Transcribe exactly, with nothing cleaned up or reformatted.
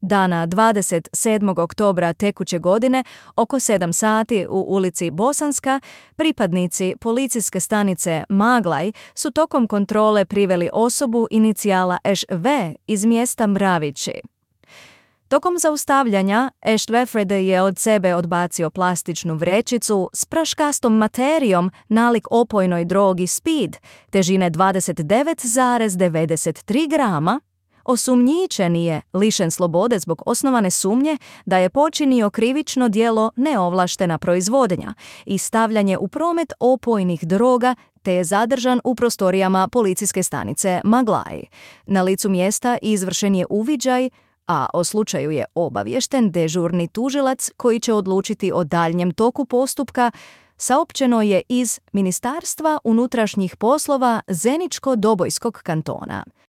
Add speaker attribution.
Speaker 1: Dana dvadeset sedmog oktobra tekuće godine, oko sedam sati u ulici Bosanska, pripadnici policijske stanice Maglaj su tokom kontrole priveli osobu inicijala Š V iz mjesta Mravići. Tokom zaustavljanja, Eštveftred je od sebe odbacio plastičnu vrećicu s praškastom materijom nalik opojnoj drogi speed, težine dvadeset devet zarez devedeset tri grama. Osumnjičeni je lišen slobode zbog osnovane sumnje da je počinio krivično djelo neovlaštena proizvodnja i stavljanje u promet opojnih droga te je zadržan u prostorijama policijske stanice Maglaj. Na licu mjesta izvršen je uviđaj, a o slučaju je obaviješten dežurni tužilac koji će odlučiti o daljnjem toku postupka, saopćeno je iz Ministarstva unutrašnjih poslova Zeničko-Dobojskog kantona.